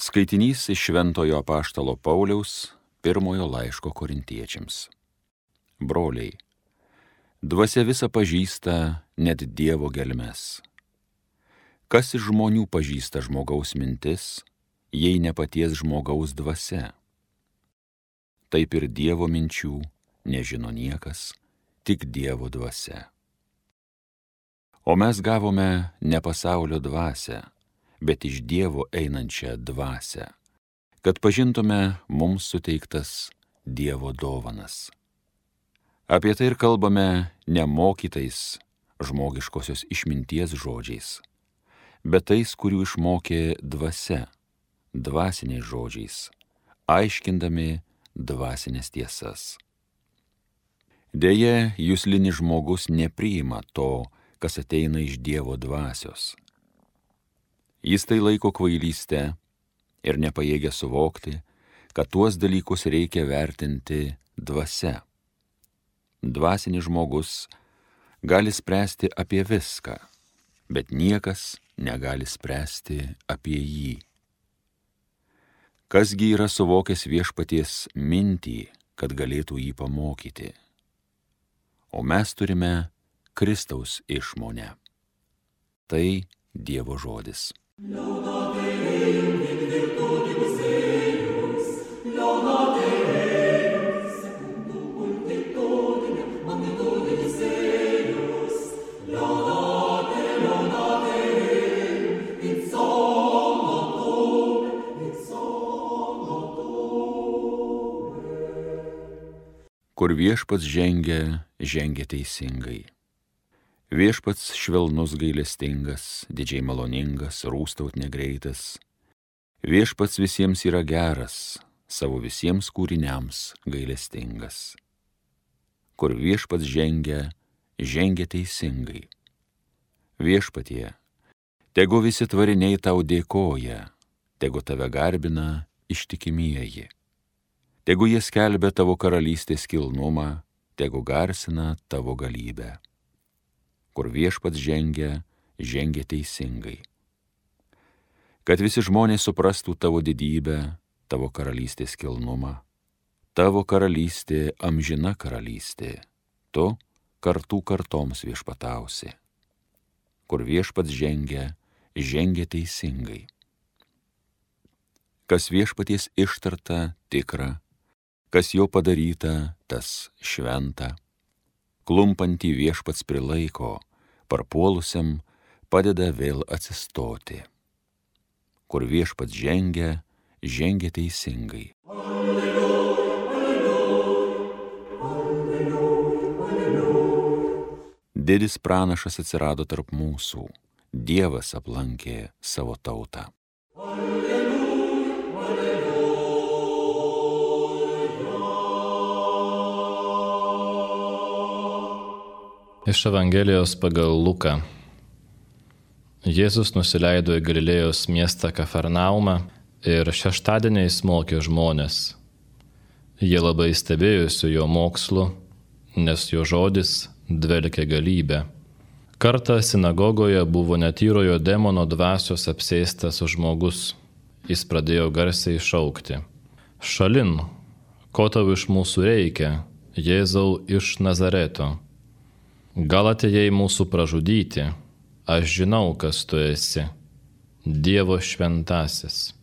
Skaitinys iš Šventojo apaštalo Pauliaus pirmojo laiško Korintiečiams. Broliai, dvasia visa pažįsta net Dievo gelmes. Kas iš žmonių pažįsta žmogaus mintis, jei ne paties žmogaus dvasia? Taip ir Dievo minčių nežino niekas, tik Dievo dvasia. O mes gavome ne pasaulio dvasią, bet iš Dievo einančią dvasią, kad pažintume mums suteiktas Dievo dovanas. Apie tai ir kalbame nemokytais žmogiškosios išminties žodžiais, bet tais, kurių išmokė dvasia, dvasiniais žodžiais, aiškindami dvasinės tiesas. Deja, juslinis žmogus nepriima to, kas ateina iš Dievo dvasios. Jis tai laiko kvailyste ir nepajėgia suvokti, kad tuos dalykus reikia vertinti dvasia. Dvasinis žmogus gali spręsti apie viską, bet niekas negali spręsti apie jį. Kasgi yra suvokęs viešpaties mintį, kad galėtų jį pamokyti? O mes turime Kristaus išmonę. Tai Dievo žodis. Kur viešpats žengia, žengia teisingai. Viešpats švelnus gailestingas, didžiai maloningas, rūstaut negreitas. Viešpats visiems yra geras, savo visiems kūriniams gailestingas. Kur viešpats žengia, žengia teisingai. Viešpatie, tegu visi tvariniai tau dėkoja, tegu tave garbina ištikimieji. Tegu jie skelbia tavo karalystės kilnumą, tegu garsina tavo galybę. Kur viešpats žengia, žengia teisingai. Kad visi žmonės suprastų tavo didybę, tavo karalystės kilnumą. Tavo karalystė amžina karalystė, tu kartų kartoms viešpatausi. Kur viešpats žengia, žengia teisingai. Kas viešpaties ištarta tikra, kas jo padaryta, tas šventa. Klumpantį viešpats prilaiko, parpuolusiam padeda vėl atsistoti. Kur viešpats žengia, žengia teisingai. Alleluja, alleluja, alleluja. Didis pranašas atsirado tarp mūsų, Dievas aplankė savo tautą. Iš Evangelijos pagal Luką. Jėzus nusileido į Galilėjos miestą Kafarnaumą ir šeštadieniais mokė žmones. Jie labai stebėjosi jo mokslu, nes jo žodis dvelkė galybę. Kartą sinagogoje buvo netyrojo demono dvasios apsėstas žmogus. Jis pradėjo garsiai šaukti: Šalin, ko tau iš mūsų reikia, Jėzau iš Nazareto? Gal atėjai mūsų pražudyti? Aš žinau, kas tu esi, Dievo šventasis.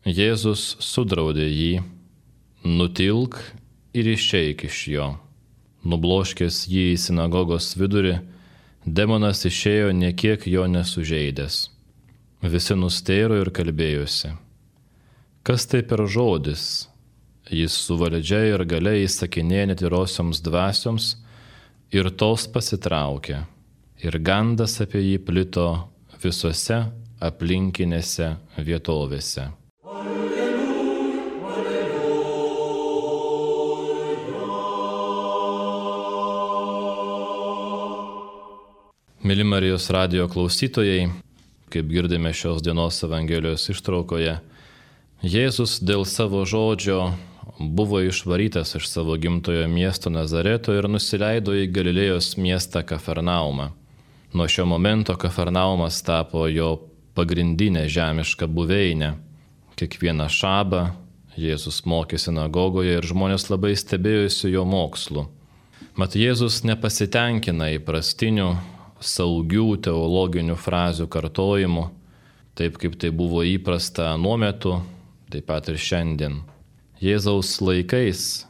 Jėzus sudraudė jį: nutilk ir išeik iš jo. Nubloškęs jį į sinagogos vidurį, demonas išėjo nė kiek jo nesužeidęs. Visi nustėro ir kalbėjosi: kas tai per žodis? Jis su valdžia ir galia įsakinėja netyrosioms dvasioms, ir tos pasitraukė, ir gandas apie jį plito visose aplinkinėse vietovėse. Alleluja, alleluja. Mėly Marijos radijo klausytojai, kaip girdime šios dienos Evangelijos ištraukoje, Jėzus dėl savo žodžio buvo išvarytas iš savo gimtojo miesto Nazareto ir nusileido į Galilėjos miestą Kafarnaumą. Nuo šio momento Kafarnaumas tapo jo pagrindinė žemiška buveinė. Kiekvieną šabą Jėzus mokė sinagogoje ir žmonės labai stebėjosi jo mokslu. Mat Jėzus nepasitenkina įprastinių, saugių teologinių frazių kartojimu, taip kaip tai buvo įprasta anuo metu, taip pat ir šiandien. Jėzaus laikais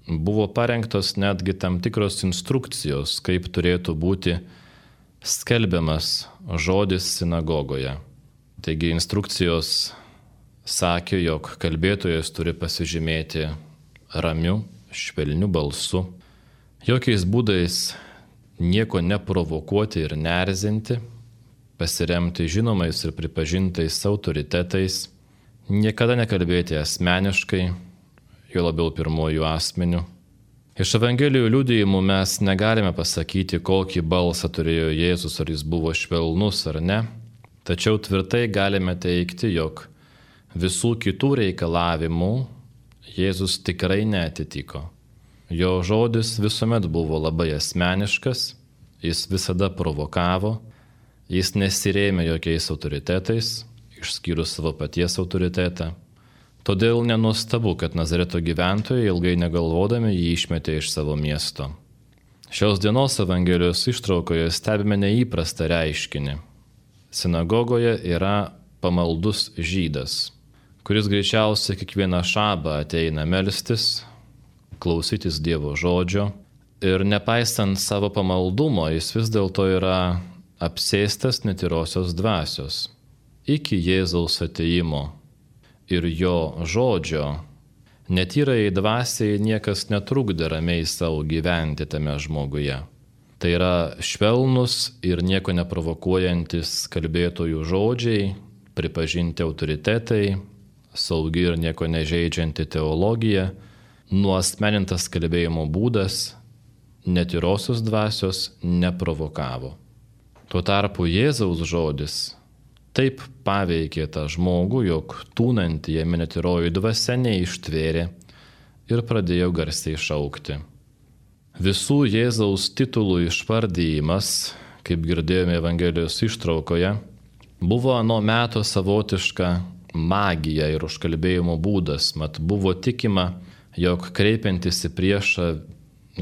buvo parengtos netgi tam tikros instrukcijos, kaip turėtų būti skelbiamas žodis sinagogoje. Taigi instrukcijos sakė, jog kalbėtojas turi pasižymėti ramiu, švelniu balsu, jokiais būdais nieko neprovokuoti ir neerzinti, pasiremti žinomais ir pripažintais autoritetais, niekada nekalbėti asmeniškai, jo labiau pirmojų asmenių. Iš Evangelijų liudijimų mes negalime pasakyti, kokį balsą turėjo Jėzus, ar jis buvo švelnus ar ne, tačiau tvirtai galime teigti, jog visų kitų reikalavimų Jėzus tikrai neatitiko. Jo žodis visuomet buvo labai asmeniškas, jis visada provokavo, jis nesirėmė jokiais autoritetais, išskyrus savo paties autoritetą. Todėl nenuostabu, kad Nazareto gyventojai ilgai negalvodami jį išmetė iš savo miesto. Šios dienos Evangelijos ištraukoje stebime neįprastą reiškinį. Sinagogoje yra pamaldus žydas, kuris greičiausiai kiekvieną šabą ateina melstis, klausytis Dievo žodžio ir nepaisant savo pamaldumo, jis vis dėlto yra apsėstas netyrosios dvasios. Iki Jėzaus atėjimo ir jo žodžio netyrai dvasiai niekas netrukdė ramiai savo gyventi tame žmoguje. Tai yra švelnus ir nieko neprovokuojantis kalbėtojų žodžiai, pripažinti autoritetai, saugi ir nieko nežeidžianti teologija, nuasmenintas kalbėjimo būdas, netyrosios dvasios neprovokavo. Tuo tarpu Jėzaus žodis taip paveikė tą žmogų, jog tūnanti jame netyroji dvasia neištvėrė ir pradėjo garsiai šaukti. Visų Jėzaus titulų išvardyjimas, kaip girdėjome Evangelijos ištraukoje, buvo ano meto savotiška magija ir užkalbėjimo būdas, mat buvo tikima, jog kreipiantis į priešą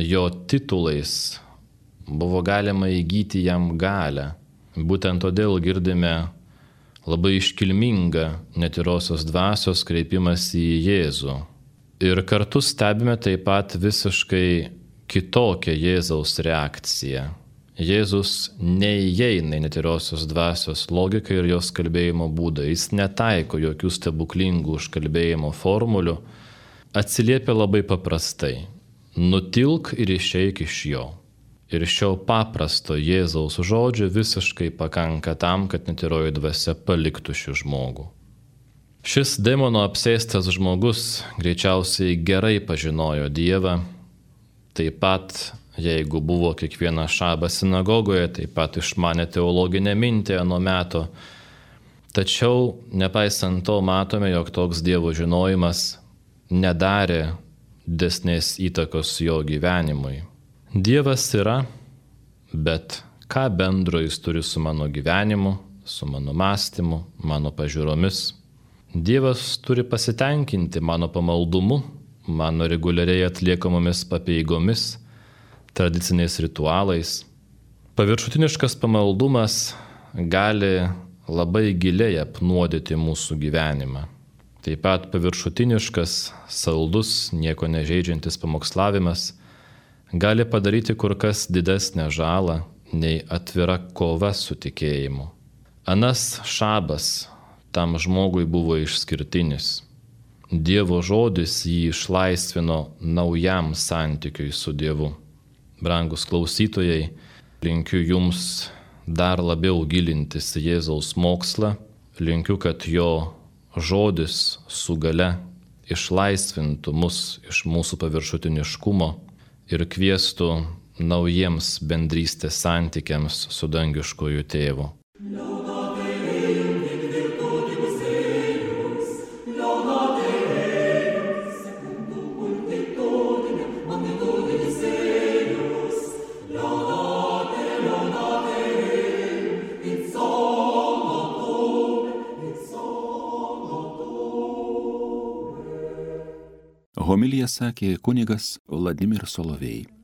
jo titulais buvo galima įgyti jam galią. Būtent todėl girdime labai iškilmingą netyrosios dvasios kreipimas į Jėzų. Ir kartu stebime taip pat visiškai kitokią Jėzaus reakciją. Jėzus neįeina į netyrosios dvasios logiką ir jos kalbėjimo būdą. Jis netaiko jokių stebuklingų užkalbėjimo formulių, atsiliepia labai paprastai. Nutilk ir išeik iš jo. Ir šio paprasto Jėzaus žodžio visiškai pakanka tam, kad netyroji dvasia paliktų šį žmogų. Šis demono apsėstas žmogus greičiausiai gerai pažinojo Dievą, taip pat, jeigu buvo kiekvieną šabą sinagogoje, taip pat išmanė teologinę mintį ano meto. Tačiau, nepaisant to, matome, jog toks Dievo žinojimas nedarė didesnės įtakos jo gyvenimui. Dievas yra, bet ką bendro jis turi su mano gyvenimu, su mano mąstymu, mano pažiūromis? Dievas turi pasitenkinti mano pamaldumu, mano reguliariai atliekamomis papeigomis, tradiciniais ritualais. Paviršutiniškas pamaldumas gali labai giliai apnuodyti mūsų gyvenimą. Taip pat paviršutiniškas, saldus, nieko nežeidžiantis pamokslavimas gali padaryti kur kas didesnę žalą nei atvira kova su tikėjimu. Anas šabas tam žmogui buvo išskirtinis. Dievo žodis jį išlaisvino naujam santykiui su Dievu. Brangus klausytojai, linkiu jums dar labiau gilintis į Jėzaus mokslą, linkiu, kad jo žodis su gale išlaisvintų mus iš mūsų paviršutiniškumo ir kviestų naujiems bendrystės santykiams su dangiškuoju tėvu. Homiliją sakė kunigas Vladimir Solovej.